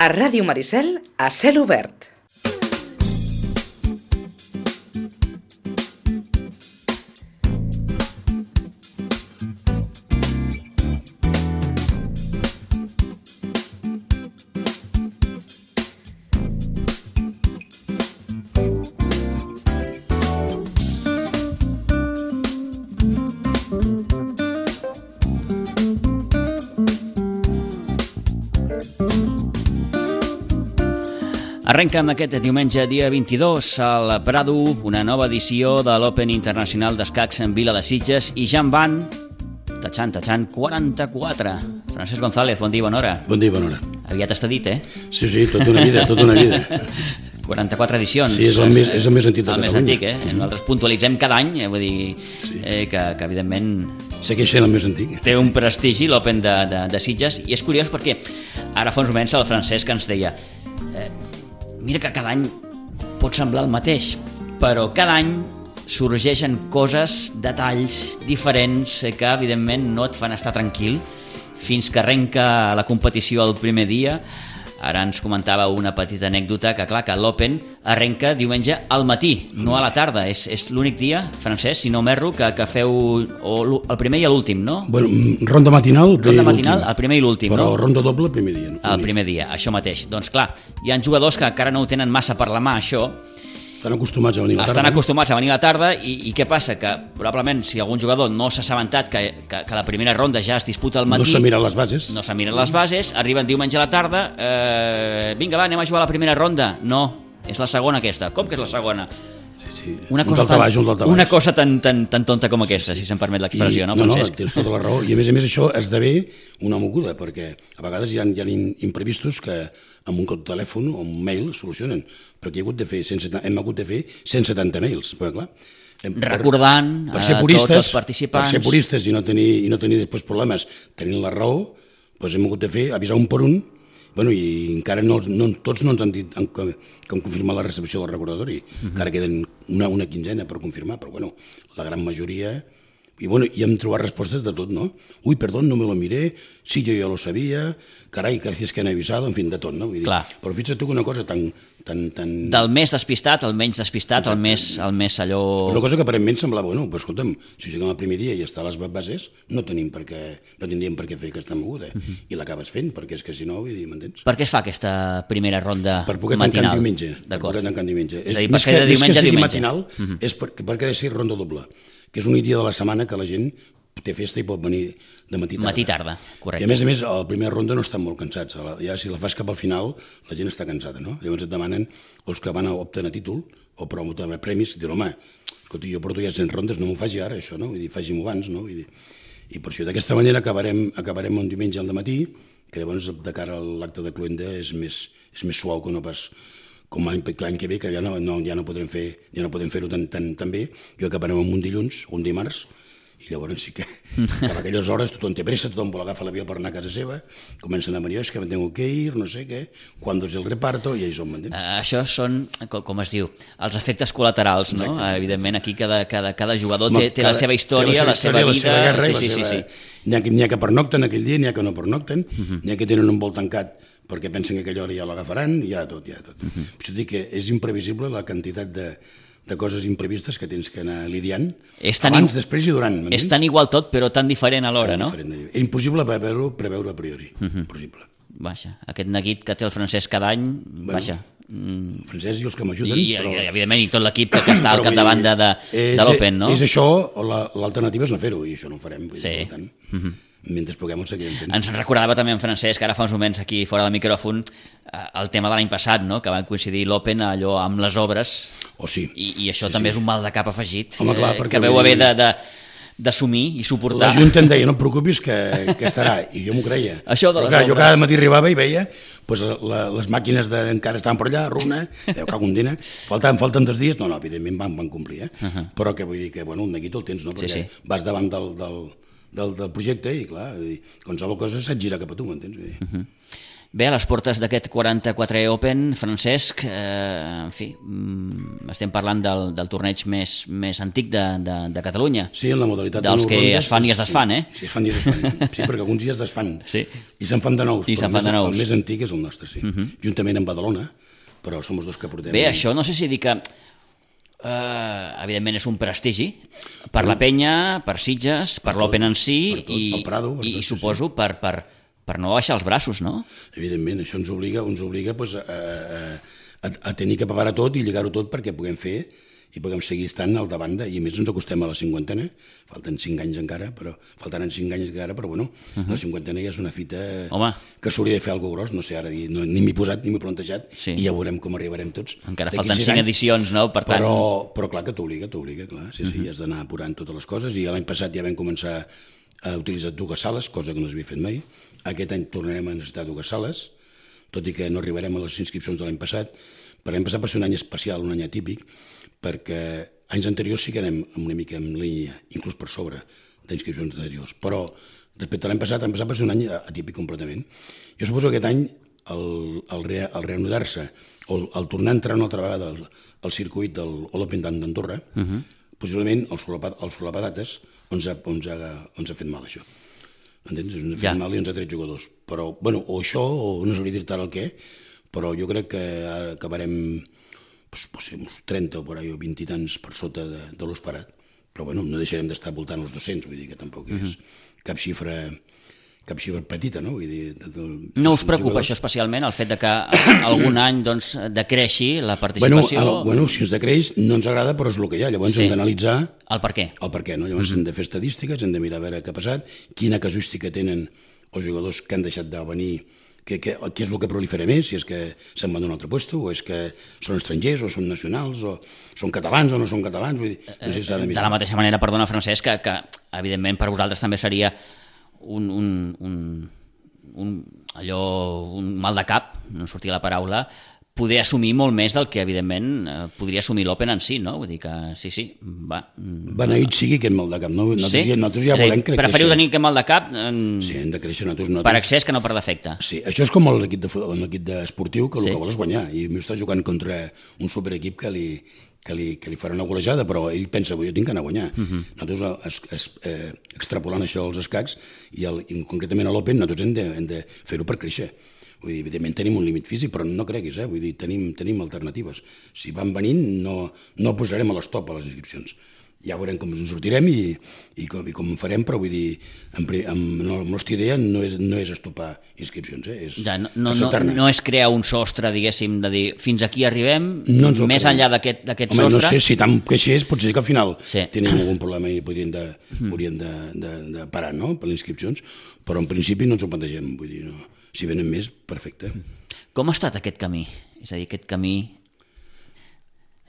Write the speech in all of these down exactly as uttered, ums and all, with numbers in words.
A Ràdio Maricel, a cel obert. Arrenca amb aquest diumenge, dia vint-i-dos, al Prado, una nova edició de l'Open Internacional d'Escacs en Vila de Sitges, i ja en van, tatxant, tatxant, quaranta-quatre. Francesc González, bon dia, bona hora. Bon dia, bona hora. Aviat està dit, eh? Sí, sí, tota una vida, tota una vida. quaranta-quatre edicions. Sí, és el més, és el més antic de el Catalunya. El més antic, eh? Nosaltres puntualitzem cada any, eh? Vull dir sí. eh, que, que, evidentment... Segueix sent el més antic. Té un prestigi l'Open de, de, de Sitges, i és curiós perquè ara fa uns moments el Francesc ens deia... Eh, Mira que cada any pot semblar el mateix, però cada any sorgeixen coses, detalls diferents que evidentment no et fan estar tranquil fins que arrenca la competició el primer dia. Ara ens comentava una petita anècdota que, clar, que l'Open arrenca diumenge al matí, no a la tarda. És, és l'únic dia, Francesc, si no m'erro, que, que feu o el primer i l'últim, no? Bueno, ronda matinal, ronda matinal, el primer i l'últim, no? Però ronda doble el primer dia. No? El primer dia, això mateix. Doncs clar, hi ha jugadors que encara no ho tenen massa per la mà, això. Estan acostumats a venir a la tarda. Estan acostumats a venir a la tarda i, i què passa? Que probablement si algun jugador no s'ha assabentat que, que, que la primera ronda ja es disputa al matí... No s'ha mirat les bases. No s'ha mirat les bases, arriben diumenge a la tarda, eh, vinga va, anem a jugar a la primera ronda. No, és la segona aquesta. Com que és la segona? Sí, sí. Una cosa, tan, baix, una cosa tan, tan, tan tonta com aquesta, sí, sí. Si se'm permet l'expressió, no, Francesc? No, no, tens tota la raó. I a més a més això esdevé una moguda, perquè a vegades hi ha, hi ha imprevistos que amb un telèfon o un mail solucionen, perquè he hagut de fer cent setanta, hem hagut de fer cent setanta mails, perquè clar... Per, recordant per ser puristes, a tots els participants... Per ser puristes i no tenir, i no tenir després problemes tenint la raó, doncs hem hagut de fer, avisar un per un. Bueno, i encara no, no, tots no ens han dit que, que han confirmat la recepció del recordatori. Uh-huh. Encara queden una, una quinzena per confirmar, però bueno, la gran majoria... I, bueno, i hem trobat respostes de tot, no? Ui, perdó, no me lo miré, sí, yo ya lo sabía, carai, gracias que han avisado, en fin, de tot, no? Vull dir, clar. Però fixa't tu que una cosa tan... tan, tan... Del més despistat, el menys despistat, el més, el més allò... Una cosa que aparentment semblava, bueno, però escolta'm, si juguem el primer dia i està a les bases, no tenim per què, no tindríem per què fer aquesta moguda, eh? Uh-huh. I l'acabes fent, perquè és que si no, vull dir, m'entens? Per què es fa aquesta primera ronda matinal? Per poder tancar diumenge. Per poder tancar diumenge. És a dir, perquè de diumenge a diumenge. Matinal, uh-huh. És per, perquè ha de ser ronda doble, que és un dia de la setmana que la gent té festa i pot venir de matí tarda. Matí tarda, correcte. I a més a més, a la primera ronda no estan molt cansats. Ja si la fas cap al final, la gent està cansada, no? Llavors et demanen els que van a optar a títol o per a premis, i diuen, home, escolta, jo porto ja cent rondes, no m'ho faci ara, això, no? Vull dir, faci-m'ho abans, no? Vull dir, i per això d'aquesta manera acabarem, acabarem un diumenge al matí, que llavors de cara a l'acte de cluenda és més, és més suau que no pas com l'any que ve, que ja no, no, ja no podrem fer, ja no podem fer-ho tan, tan, tan bé, i acabarem amb un dilluns, un dimarts, i llavors sí que per aquelles hores tothom té pressa, tothom vol agafar l'avió per anar a casa seva, comencen a venir, és que me tengo que ir, no sé què, quan és el reparto, i ahí som, m'entens? Uh, això són, com, com es diu, els efectes col·laterals, no? Exacte, exacte, Evidentment, aquí cada, cada, cada jugador té, té la seva història, la seva, la seva vida... La seva guerra, sí, sí, sí, sí. N'hi ha, n'hi ha que pernocten aquell dia, n'hi ha que no pernocten, uh-huh. N'hi ha que tenen un vol tancat perquè pensen que aquella hora ja l'agafaran, ja tot, ja tot. Uh-huh. Això dic que és imprevisible la quantitat de, de coses imprevistes que tens que anar lidiant abans, i, després i durant. És tan igual tot, però tan diferent alhora, no? Diferent. És impossible preveure, preveure a priori. Uh-huh. Impossible. Vaja, aquest neguit que té el Francesc cada any, bueno, vaja... El Francesc i els que m'ajuden. I, però... i, evidentment, i tot l'equip que, que està al capdavant de, de, de l'Open, no? És això, o l'alternativa és no fer-ho, i això no ho farem. Sí. Per tant, uh-huh. Mentre puguem ho seguirem fent. Ens recordava també en Francesc, ara fa uns moments aquí fora del micròfon, el tema de l'any passat, no? Que van coincidir l'Open allò amb les obres, oh, sí. I, i això sí, també sí. és un mal de cap afegit. Home, clar, eh, que veu haver de, de, d'assumir i suportar. La Junta em deia, no et preocupis que, que estarà, i jo m'ho creia. Això de les clar, obres... Jo cada matí arribava i veia pues, la, les màquines de, encara estaven per allà, runa, deu cago un dina, falten, falten dos dies, no, no, evidentment van, van complir, eh? Uh-huh. Però que vull dir que, bueno, el neguit el tens, no? Perquè sí, sí. Vas davant del... del Del, del projecte i clar, qualsevol cosa se't gira cap a tu, m'entens? Uh-huh. Bé, a les portes d'aquest quaranta-quatre Open, Francesc, eh, en fi, mm, estem parlant del, del torneig més, més antic de, de, de Catalunya. Sí, en la modalitat dels de que rondes, es fan i es desfan, eh? Sí, es fan i es desfan. Sí, perquè alguns ja es desfan. Sí. I se'n fan de nous. I se'n fan de nous. El més antic és el nostre, sí. Uh -huh. Juntament amb Badalona, però som els dos que portem. Bé, això no sé si dir que... Uh, evidentment és un prestigi per la penya, per Sitges, per, per l'Open en si per tot, i, pel Prado, per i, tot, i sí, suposo sí. per, per, per no baixar els braços, no? Evidentment, això ens obliga, ens obliga pues, a, a, a, a tenir que preparar tot i lligar-ho tot perquè puguem fer i puguem seguir estant al davant de, i a més ens acostem a la cinquantena, falten cinc anys encara, però faltaran cinc anys encara, però bueno, uh -huh. la cinquantena ja és una fita Home. que s'hauria de fer alguna cosa gros, no sé, ara no, ni m'he posat ni m'he plantejat, Sí. i ja veurem com arribarem tots. Encara D'aquí falten sis cinc anys, edicions, no? Per tant... Però, però clar que t'obliga, t'obliga, clar, sí, sí, uh -huh. has d'anar apurant totes les coses, i l'any passat ja vam començar a utilitzar dues sales, cosa que no s'havia fet mai. Aquest any tornarem a necessitar dues sales, tot i que no arribarem a les inscripcions de l'any passat. Per l'any passat va ser un any especial, un any atípic, perquè anys anteriors sí que anem una mica en línia, inclús per sobre d'inscripcions anteriors, però respecte a l'any passat, l'any passat va ser un any atípic completament. Jo suposo que aquest any el, el, re, el reanudar-se, o el, el tornar a entrar una altra vegada al, al circuit del l'Open d'Andorra, uh -huh. possiblement el solapadates ens ha, ens, ha, ens ha fet mal, això. Entens? Ens ha fet ja. mal i ens ha tret jugadors. Però, bueno, o això, o no sabria dir-te ara el què, però jo crec que ara acabarem pues, pues, uns trenta o por ahí, o vint i tants per sota de, de l'esperat, però bueno, no deixarem d'estar voltant els dos-cents, vull dir que tampoc és uh-huh. cap xifra cap xifra petita, no? Vull dir, de, de, no us preocupa jugadors. Això especialment, el fet de que algun any doncs, decreixi la participació? Bueno, el, bueno, si ens decreix no ens agrada, però és el que hi ha, llavors sí. hem d'analitzar el per què. El per què, no? Llavors uh-huh. hem de fer estadístiques, hem de mirar a veure què ha passat, quina casuística tenen els jugadors que han deixat de venir, què, què, què és el que prolifera més, si és que se'n van d'un altre lloc, o és que són estrangers, o són nacionals, o són catalans o no són catalans, vull dir, no sé si s'ha de mirar. De la mateixa manera, perdona, Francesc, que, que evidentment per vosaltres també seria un, un, un, un, allò, un mal de cap, no sortia la paraula, poder assumir molt més del que, evidentment, eh, podria assumir l'Open en si, no? Vull dir que, sí, sí, va... Beneït sigui aquest mal de cap, no? Nosaltres, sí? ja, nosaltres ja volem creixer. Preferiu tenir aquest mal de cap en... sí, hem de créixer nosaltres, nosaltres. Per excés que no per defecte. Sí, això és com l'equip de, l'equip de esportiu, que el sí. que vol és guanyar, i m'ho està jugant contra un superequip que li, que li, que li farà una golejada, però ell pensa, jo tinc que anar a guanyar. Uh -huh. Nosaltres, es, es, eh, extrapolant això als escacs, i, el, i concretament a l'Open, nosaltres hem de, hem de fer-ho per créixer. Vull dir, evidentment tenim un límit físic, però no creguis, eh? Vull dir, tenim, tenim alternatives. Si van venint, no, no posarem a l'estop a les inscripcions. Ja veurem com ens sortirem i, i, com, i com farem, però vull dir, amb, amb, no, la nostra idea no és, no és estopar inscripcions, eh? És ja, no, no, no, no és crear un sostre, diguéssim, de dir fins aquí arribem, no més creiem. enllà d'aquest sostre... Home, no sé, si tant queixés, potser que al final sí. tenim algun problema i podrien de, mm. podrien de, de, de parar, no?, per les inscripcions, però en principi no ens ho plantegem, vull dir, no. Si venen més, perfecte. Com ha estat aquest camí? És a dir, aquest camí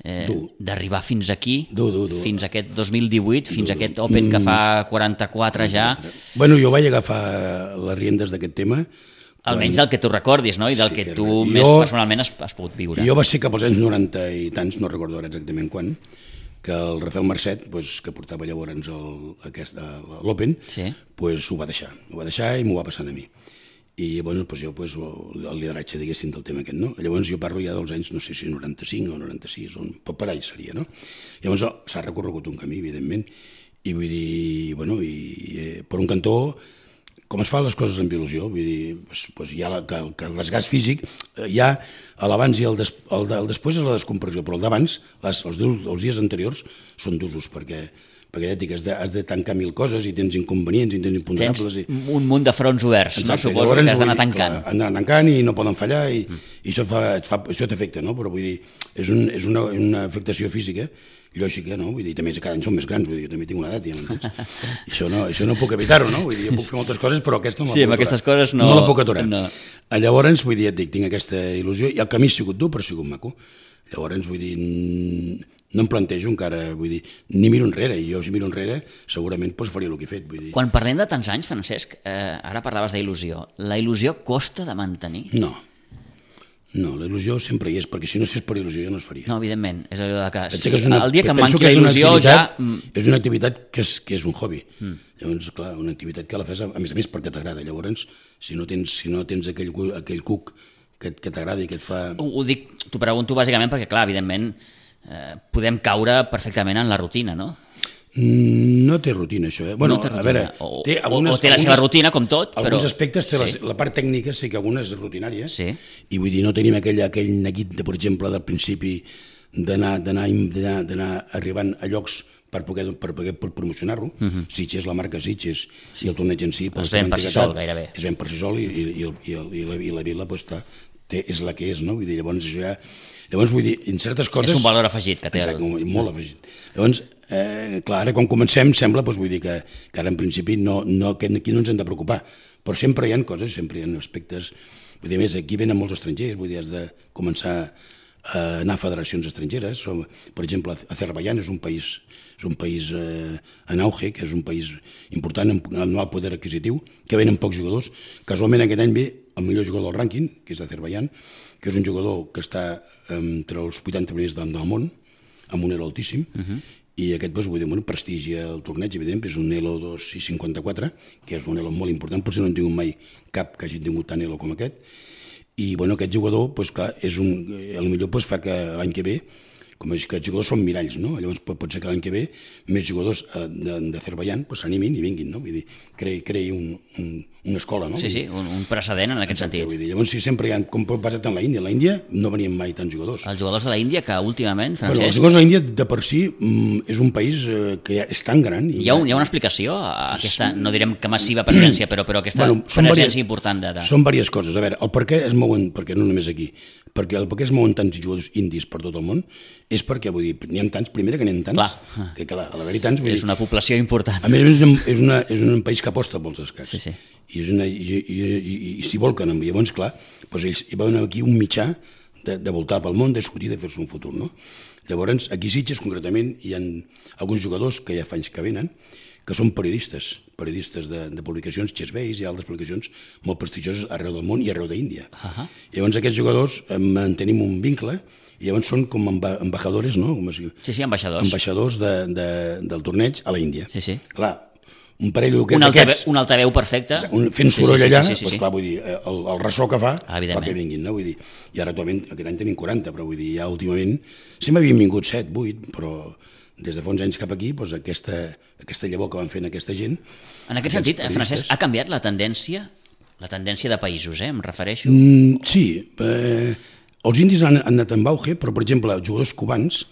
eh, d'arribar fins aquí, dur, dur, dur. fins a aquest dos mil divuit, fins dur, a aquest Open que fa quaranta-quatre ja... Bueno, jo vaig agafar les riendes d'aquest tema... Almenys del que tu recordis, no? I del sí, que, que tu jo, més personalment has, has pogut viure. Jo va ser cap als anys noranta i tants, no recordo ara exactament quan, que el Rafael Marcet, pues, que portava llavors l'Open, sí. pues, ho va deixar. Ho va deixar i m'ho va passant a mi. I bueno, pues jo pues, el lideratge, diguéssim, del tema aquest, no? Llavors jo parlo ja dels anys, no sé si noranta-cinc o noranta-sis, on per all seria, no? Llavors s'ha recorregut un camí, evidentment, i vull dir, bueno, i eh, per un cantó, com es fan les coses amb il·lusió, vull dir, pues, pues hi ha la, que, que el desgast físic, eh, hi ha l'abans i el, des, el, el després és la descompressió, però el d'abans, els, els dies anteriors, són d'usos, perquè perquè ja et dic, has de, has de tancar mil coses i tens inconvenients i tens imponderables. Tens i... un munt de fronts oberts, exacte, no? Suposo llavors, que has d'anar tancant. Clar, han d'anar tancant i no poden fallar i, mm. i això, fa, fa, això t'afecta, no? Però vull dir, és, un, és una, una afectació física, lògica, no? Vull dir, també cada any som més grans, vull dir, jo també tinc una edat, ja m'entens? això, no, això no puc evitar-ho, no? Vull dir, jo puc fer moltes coses, però aquesta no la sí, puc aquestes coses no... no la puc aturar. No. Llavors, vull dir, et dic, tinc aquesta il·lusió, i el camí ha sigut dur, però ha sigut maco. Llavors, vull dir, no em plantejo encara, vull dir, ni miro enrere, i jo si miro enrere segurament doncs, faria el que he fet. Vull dir. Quan parlem de tants anys, Francesc, eh, ara parlaves d'il·lusió, la il·lusió costa de mantenir? No, No, la il·lusió sempre hi és, perquè si no es fes per il·lusió ja no es faria. No, evidentment, és allò de que, Pensa sí, que és una, el dia que em penso manqui la és una il·lusió ja... activitat- És una activitat que és, que és un hobby. Mm. Llavors, clar, una activitat que la fas, a més a més, perquè t'agrada. Llavors, si no tens, si no tens aquell, cu- aquell cuc que, que t'agrada i que et fa... Ho, ho dic, t'ho pregunto bàsicament perquè, clar, evidentment, eh, podem caure perfectament en la rutina, no? Mm, No té rutina, això. Eh? Bueno, No té a rutina. veure, O- té o- algunes, o té la seva algunes- rutina, com tot, però- Alguns aspectes té Sí. la, la part tècnica, sí que algunes és rutinària, Sí. i vull dir, no tenim aquell, aquell neguit, de, per exemple, del principi d'anar d'anar d'anar- d'anar arribant a llocs per poder, per poder per promocionar-lo. Uh -huh. Sitges, la marca Sitges, sí. i el torneig en si... Es ven per si sol, gairebé. Es ven per si sol i, i, i, el- i, el- i, la, i la vila pues, està, té, és la que és, no? Vull dir, llavors això ja... Llavors, vull dir, en certes coses... És un valor afegit que té. Exacte, El... molt afegit. Llavors, eh, clar, ara quan comencem sembla, doncs, vull dir que, que ara en principi no, no, que aquí no ens hem de preocupar, però sempre hi ha coses, sempre hi ha aspectes... Vull dir, a més, aquí venen molts estrangers, vull dir, has de començar a anar a federacions estrangeres. Som, per exemple, Azerbaiyán és un país, és un país eh, en auge, que és un país important amb el nou poder adquisitiu, que venen pocs jugadors. Casualment aquest any ve el millor jugador del rànquing, que és d'Azerbaiyán, que és un jugador que està entre els vuitanta primers del, del món, amb un elo altíssim, uh -huh. i aquest, doncs, vull dir, bueno, prestigia el torneig, evident, és un elo dos coma cinquanta-quatre, que és un elo molt important, potser no en tingut mai cap que hagi tingut tant elo com aquest, i bueno, aquest jugador, doncs, clar, és un, potser doncs, fa que l'any que ve, com és que els jugadors són miralls, no? Llavors pot, pot ser que l'any que ve més jugadors eh, d'Azerbaiyán doncs, s'animin i vinguin, no? Vull dir, creï, creï un, un, una escola, no? Sí, sí, un, un precedent en aquest Exacte, sentit. Vull dir, llavors, sí, sempre hi ha, com basat en la Índia, en la Índia no venien mai tants jugadors. Els jugadors de la Índia, que últimament, Bueno, els Francesc, jugadors de la Índia, de per si, mm, és un país eh, que ja és tan gran... I hi ha, un, hi ha una explicació a aquesta, no direm que massiva presència, però, però aquesta Bueno, són presència varies- important de... de... Són diverses coses. A veure, el per què es mouen, perquè no només aquí, perquè el per què es mouen tants jugadors indis per tot el món, és perquè, vull dir, n'hi ha tants, primera que n'hi ha tants, Clar. que clar, a l'haver-hi tants, vull És dir, una població important. a més a més és un, és, una, és un país que aposta pels escacs. Sí, sí. I, és una, i, i, i, i s'hi volquen. I llavors, clar, doncs ells hi veuen aquí un mitjà de, de voltar pel món, de sortir, de fer-se un futur, no? Llavors, aquí a Sitges, concretament, hi ha alguns jugadors que ja fa anys que venen, que són periodistes, periodistes de, de publicacions, Chessbase i altres publicacions molt prestigioses arreu del món i arreu d'Índia. Uh -huh. Llavors, aquests jugadors eh, mantenim un vincle i llavors són com amba, embajadores, no? Com es diu? Sí, sí, ambaixadors. Ambaixadors de, de, del torneig a la Índia. Sí, sí. Clar, un parell Un, d'aquests... altaveu, un altaveu perfecte. Un, fent soroll sí, sí, allà, sí, sí, sí, doncs sí. clar, vull dir, el, el ressò que fa, Ah, fa evidentment. que vinguin, no? Vull dir, i ara actualment, aquest any tenim quaranta, però vull dir, ja últimament, sempre havien vingut set, vuit, però des de fa uns anys cap aquí, doncs aquesta, aquesta llavor que van fent aquesta gent... En aquest sentit, eh, Francesc, ha canviat la tendència, la tendència de països, eh, em refereixo. Mm, sí, eh, els indis han, han anat en auge, però, per exemple, els jugadors cubans,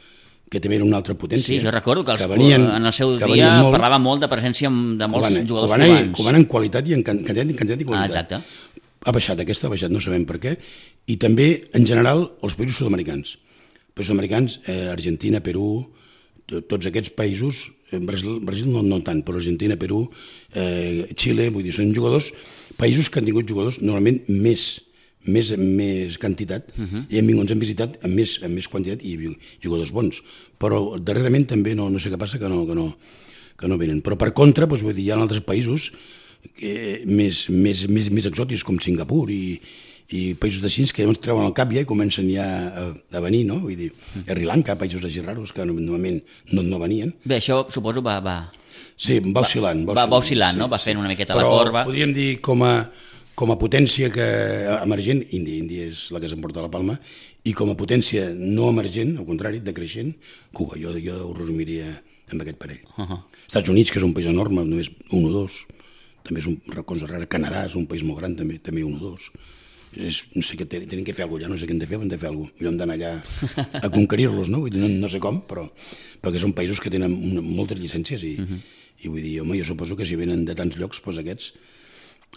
que també era una altra potència... Sí, jo recordo que, els, venien, en el seu que dia venien molt, parlava molt de presència de molts Cubana, jugadors Cubana, cubans. Cubana en qualitat i en can- quantitat, en quantitat i Ah, qualitat. exacte. Ha baixat, aquesta ha baixat, no sabem per què. I també, en general, els països sud-americans. Els sud-americans, eh, Argentina, Perú, to- tots aquests països, eh, Brasil, Brasil no, no tant, però Argentina, Perú, eh, Xile, vull dir, són jugadors, països que han tingut jugadors normalment més més, més quantitat, uh -huh. i hem vingut, ens hem visitat amb més, amb més quantitat i jugadors bons. Però darrerament també no, no sé què passa, que no, que no, que no venen. Però per contra, doncs, vull dir, hi ha altres països que, més, més, més, més exòtics, com Singapur i, i països així que llavors treuen el cap ja i comencen ja a, a venir, no? Vull dir, a Sri Lanka, països així raros que normalment no, no venien. Bé, això suposo va... va... Sí, va oscil·lant. Va, va oscil·lant, no? Va fent una miqueta la Però corba. podríem dir com a, com a potència que emergent, Índia, Índia és la que s'emporta la palma, i com a potència no emergent, al contrari, decreixent, Cuba. Jo, jo ho resumiria amb aquest parell. Uh -huh. Estats Units, que és un país enorme, només un o dos, també és una cosa rara. Canadà és un país molt gran, també, també un o dos. És, no sé què tenen que fer alguna cosa, ja no sé què hem de fer, hem de fer alguna cosa. Millor hem d'anar allà a conquerir-los, no? Vull dir, no? No sé com, però perquè són països que tenen una, moltes llicències i, uh -huh. i vull dir, home, jo suposo que si venen de tants llocs, doncs aquests...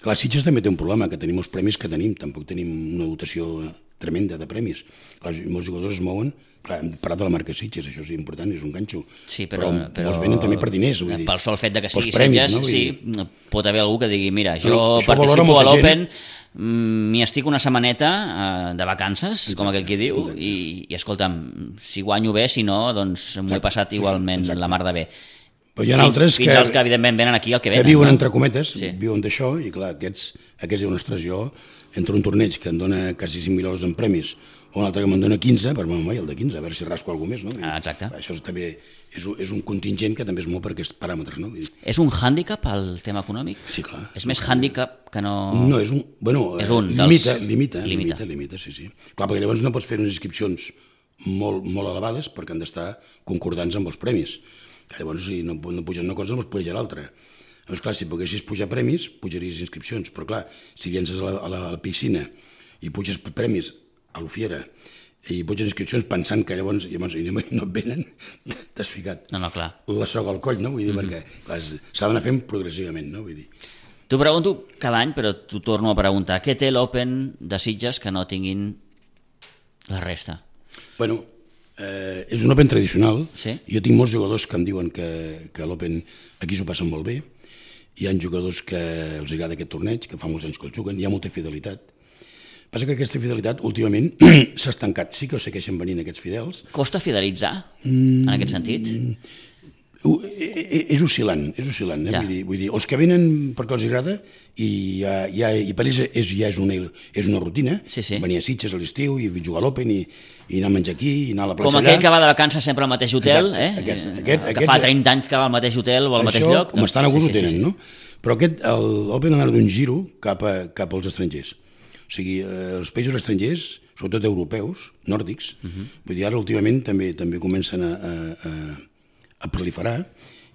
Clar, Sitges també té un problema, que tenim els premis que tenim, tampoc tenim una dotació tremenda de premis. Clar, molts jugadors es mouen, clar, hem parlat de la marca Sitges, això és important, és un ganxo, Sí, però, però, però molts venen també per diners. Vull dir, pel sol fet de que sigui pels premis, Sitges, no? Vull sí, dir, pot haver algú que digui, mira, jo No, això valora participo a molta l'Open, gent. m'hi estic una setmaneta eh, de vacances, Exacte, com aquell qui diu, exacte. i, i escolta'm, si guanyo bé, si no, doncs m'ho he passat igualment exacte. la mar de bé. Però hi ha Fins- altres fins que, als que evidentment venen aquí el que que venen. viuen no? entre cometes, Sí. viuen d'això, i clar, aquests, Aquests diuen, ostres, jo, entre un torneig que em dona quasi cinc mil euros en premis o un altre que me'n dona quinze, per home, el de quinze, a veure si rasco alguna més, no? Ah, exacte. Això és, també és, un- és un contingent que també és molt per aquests paràmetres, no? Vull dir, És un hàndicap el tema econòmic? sí, clar. És més hàndicap que no... No, és un... Bueno, És un eh, dels- limita, limita, limita. limita, limita, sí, sí. Clar, perquè llavors no pots fer unes inscripcions molt, molt elevades perquè han d'estar concordants amb els premis. Que llavors, si no, no puges una cosa, no pots pujar l'altra. Llavors, clar, si poguessis pujar premis, pujaries inscripcions. Però, clar, si llences a la, a la, a la piscina i puges premis a l'Ufiera i puges inscripcions pensant que llavors, llavors i no, no et venen, t'has ficat No, no, clar. la soga al coll, no? Vull dir, Mhm. perquè clar, és- s'ha d'anar fent progressivament, no? Vull dir, T'ho pregunto cada any, però t'ho torno a preguntar. Què té l'Open de Sitges que no tinguin la resta? bueno, eh, és un Open tradicional. Sí. Jo tinc molts jugadors que em diuen que, que l'Open aquí s'ho passen molt bé. Hi ha jugadors que els agrada aquest torneig, que fa molts anys que el juguen, hi ha molta fidelitat. Passa que aquesta fidelitat últimament s'ha estancat. Sí que segueixen venint aquests fidels. Costa fidelitzar, mm, en aquest sentit? Ho- e- e- És oscil·lant, és oscil·lant. Eh? Ja. Vull, dir, vull dir, els que venen perquè els agrada i, ja, ja, i per ells és, ja és una, és una rutina. Sí, sí. Venir a Sitges a l'estiu i jugar a l'Open i, i anar a menjar aquí i anar a la plaça Com allà. aquell que va de vacances sempre al mateix hotel, Exacte, eh? aquests- Eh, aquests- que aquests- fa trenta anys que va al mateix hotel o al mateix Això, lloc. com estan a sí, gust, sí, ho sí, tenen, sí. no? Però aquest, l'Open ha donat un giro cap, a, cap als estrangers. O sigui, eh, els països estrangers, sobretot europeus, nòrdics, uh -huh. vull dir, ara últimament també també comencen a, a, a, a proliferar,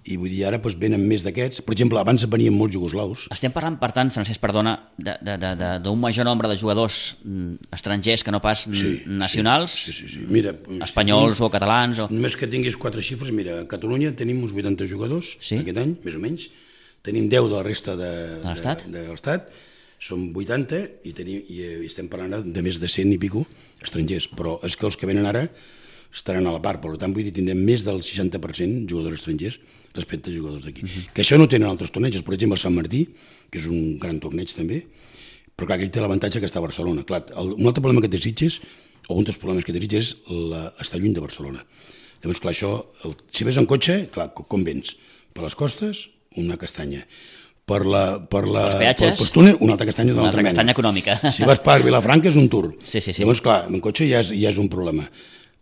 i vull dir, ara doncs, venen més d'aquests. Per exemple, abans venien molts jugoslaus. Estem parlant, per tant, Francesc, perdona, de- de- de- de- d'un major nombre de jugadors mm, estrangers que no pas mm, Sí, nacionals, Sí, sí, sí. Mira, espanyols o catalans. O... Només que tinguis quatre xifres, mira, a Catalunya tenim uns vuitanta jugadors Sí? aquest any, més o menys. Tenim deu de la resta de, De l'Estat? de, de l'Estat. Són vuitanta i, tenim, i eh, estem parlant de més de cent i pico estrangers. Però és que els que venen ara estaran a la part. Per tant, vull dir, tindrem més del seixanta per cent jugadors estrangers respecte a jugadors d'aquí. Uh-huh. Que això no tenen altres torneigs. Per exemple, el Sant Martí, que és un gran torneig també, però clar, aquell té l'avantatge que està a Barcelona. Clar, el, un altre problema que té Sitges, o un dels problemes que té Sitges, és la, estar lluny de Barcelona. Llavors, clar, això, el, si ves en cotxe, clar, com vens? Per les costes, una castanya. Per la, per la, Els peatges? per, per túnel, una altra castanya d'una Una altra altra mena. castanya econòmica. Si vas per Vilafranca és un tour. Sí, sí, sí. Llavors, clar, en cotxe ja és, ja és un problema.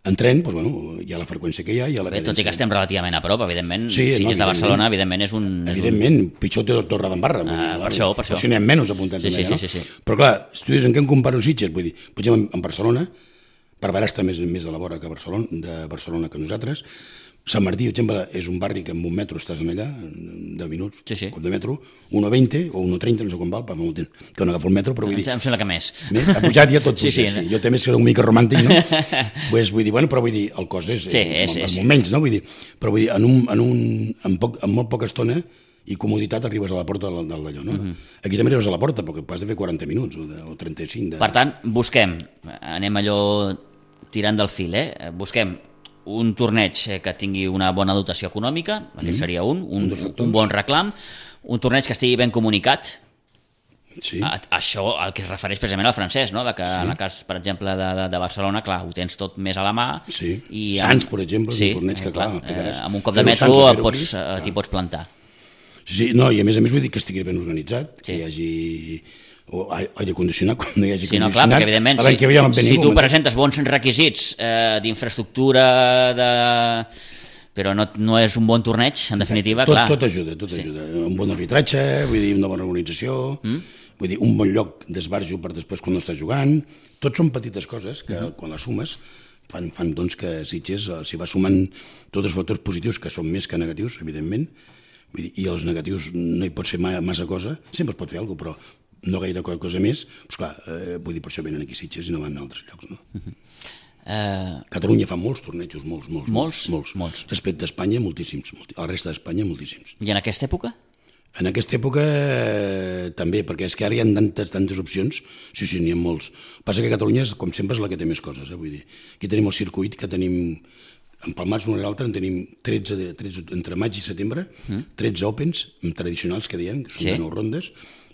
En tren, doncs, bueno, hi ha la freqüència que hi ha, hi ha la Bé, tot i que estem relativament a prop, evidentment, Sí, si no, és de Barcelona, evidentment. evidentment és un... És Evidentment, pitjor té Torre d'Embarra. Ah, per això, per això. Si n'hi ha menys apuntats Sí, sí, allà, no? sí, sí, sí. Però clar, si tu dius en què em comparo Sitges, vull dir, per exemple, en Barcelona, Barberà està més, més a la vora que Barcelona, de Barcelona que nosaltres. Sant Martí, per exemple, és un barri que amb un metro estàs en allà, en deu minuts, Sí, sí. cop de metro, un coma vint o un coma trenta, no sé com val, fa molt temps que no agafo el metro, però vull Em dir, em sembla que més. més, ha pujat ja tot Sí, puja, sí, sí, no? Jo també soc una mica romàntic, no? pues, vull dir, bueno, però vull dir, el cost és, Sí, és- és, és- molt menys, no? Vull dir, però vull dir, en, un, en, un, en, poc, en molt poca estona i comoditat arribes a la porta del, del d'allò, no? Mhm. Aquí també arribes a la porta, perquè has de fer quaranta minuts o, de, o trenta-cinc. De... Per tant, busquem, anem allò tirant del fil, eh? Busquem un torneig que tingui una bona dotació econòmica, aquest seria un, un, Un dels factors. un bon reclam, un torneig que estigui ben comunicat. Sí, A, això el que es refereix precisament al francès, no? De que sí. En el cas, per exemple, de, de, de Barcelona, clar, ho tens tot més a la mà. Sí. I Sants, per exemple, és un sí, torneig que, eh, clar, eh, pegaràs. amb un cop de Fer-ho metro Sants o et fer-ho pots, aquí, eh, t'hi pots plantar. sí, no, i a més a més vull dir que estigui ben organitzat, Sí. que hi hagi o aire condicionat, quan no hi hagi Sí, no, condicionat. clar, perquè evidentment, L'any si, que ve ja vam venir, si tu com- presentes bons requisits eh, d'infraestructura, de... però no, no és un bon torneig, en definitiva, tot, clar. tot ajuda, tot Sí. ajuda. Un bon arbitratge, vull dir, una bona organització, mm? vull dir, un bon lloc d'esbarjo per després quan no estàs jugant. Tot són petites coses que, mm-hmm. quan les sumes, fan, fan doncs, que Sitges, eh, si va sumant tots els factors positius, que són més que negatius, evidentment, vull dir, i els negatius no hi pot fer ma, massa cosa, sempre es pot fer alguna cosa, però no gaire cosa més, doncs clar, eh, vull dir, per això venen aquí a Sitges i no van a altres llocs, no? Mm-hmm. Eh, Catalunya fa molts tornejos, molts, molts, Molts? molts. Molts. Respecte a Espanya, moltíssims. molti- A la resta d'Espanya, moltíssims. I en aquesta època? En aquesta època eh, també, perquè és que ara hi ha tantes, tantes opcions, sí, sí, n'hi ha molts. Passa que Catalunya, és, com sempre, és la que té més coses, eh? Vull dir, aquí tenim el circuit que tenim, empalmats un a l'altre, en tenim tretze, de, tretze, entre maig i setembre, mm. tretze Opens tradicionals que diem, que són Sí. de nou rondes,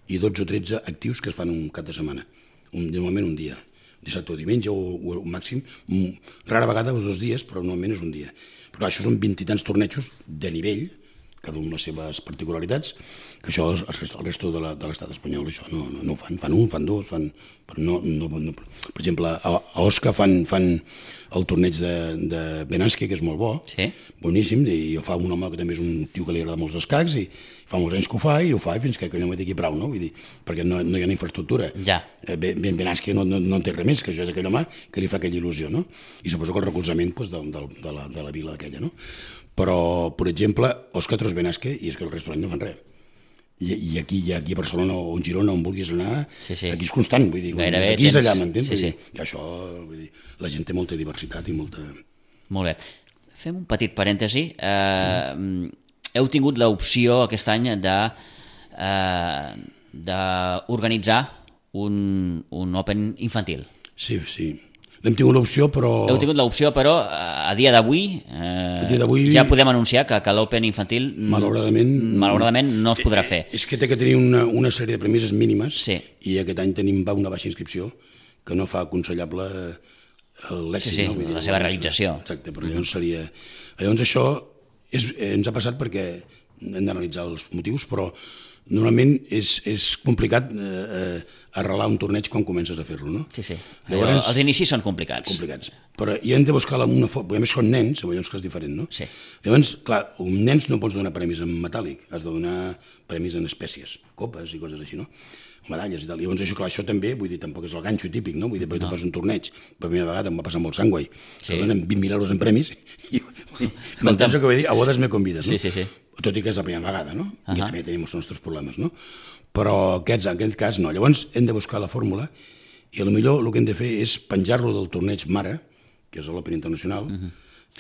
i dotze o tretze actius que es fan un cap de setmana, un, normalment un dia, dissabte o diumenge o, o, o màxim, un, rara vegada els dos dies, però normalment és un dia. Però clar, això són vint i tants tornejos de nivell, cada un les seves particularitats, que això el resto de l'estat espanyol això no, no, no ho fan, fan un, fan dos, fan, però no, no, no, per exemple, a, a Osca fan, fan el torneig de, de Benasque, que és molt bo, sí. boníssim, i ho fa un home que també és un tio que li agrada molts escacs, i fa molts anys que ho fa, i ho fa fins que allò m'ho digui prou, no? Vull dir, perquè no, no hi ha una infraestructura. Ja. Ben, Benasque no, no, no té res més, que això és aquell home que li fa aquella il·lusió, no? I suposo que el recolzament pues, de, de, de, la, de la vila aquella, no? Però, per exemple, Osca Tros Benasque, i és que el restaurant no fan res. I, i aquí, i aquí a Barcelona o a Girona, on vulguis anar, sí, sí. aquí és constant, vull dir, gairebé aquí és tens... allà, m'entens? Sí, sí. I això, vull dir, la gent té molta diversitat i molta... Molt bé. Fem un petit parèntesi. Eh, mm. Heu tingut l'opció aquest any de eh, d'organitzar un, un Open infantil. Sí, sí. L'hem tingut l'opció, però... Heu tingut l'opció, però a dia d'avui eh, ja podem anunciar que, que l'Open infantil malauradament, malauradament no es podrà fer. És que té que tenir una, una sèrie de premisses mínimes sí. i aquest any tenim va una baixa inscripció que no fa aconsellable l'èxit. Sí, sí, no? Vull dir, la seva realització. Exacte, però llavors seria... Llavors això és, ens ha passat perquè hem d'analitzar els motius, però normalment és, és complicat eh, arrelar un torneig quan comences a fer-lo, no? Sí, sí. Llavors, els inicis són complicats. Complicats. Però hi hem de buscar una forma, perquè a més són nens, llavors que és diferent, no? Sí. Llavors, clar, un nens no pots donar premis en metàl·lic, has de donar premis en espècies, copes i coses així, no? Medalles i tal. Llavors, això, clar, això també, vull dir, tampoc és el ganxo típic, no? Vull dir, perquè no. tu fas un torneig, per primera vegada em va passar amb el Sangway, sí. que donen vint mil euros en premis, i m'entens el que vull dir? A bodes me convides, no? Sí, sí, sí. Tot i que és la primera vegada, no? Uh -huh. I també tenim els nostres problemes, no? Però aquests, en aquest cas no. Llavors hem de buscar la fórmula i potser el que hem de fer és penjar-lo del torneig mare, que és l'Open Internacional, uh -huh.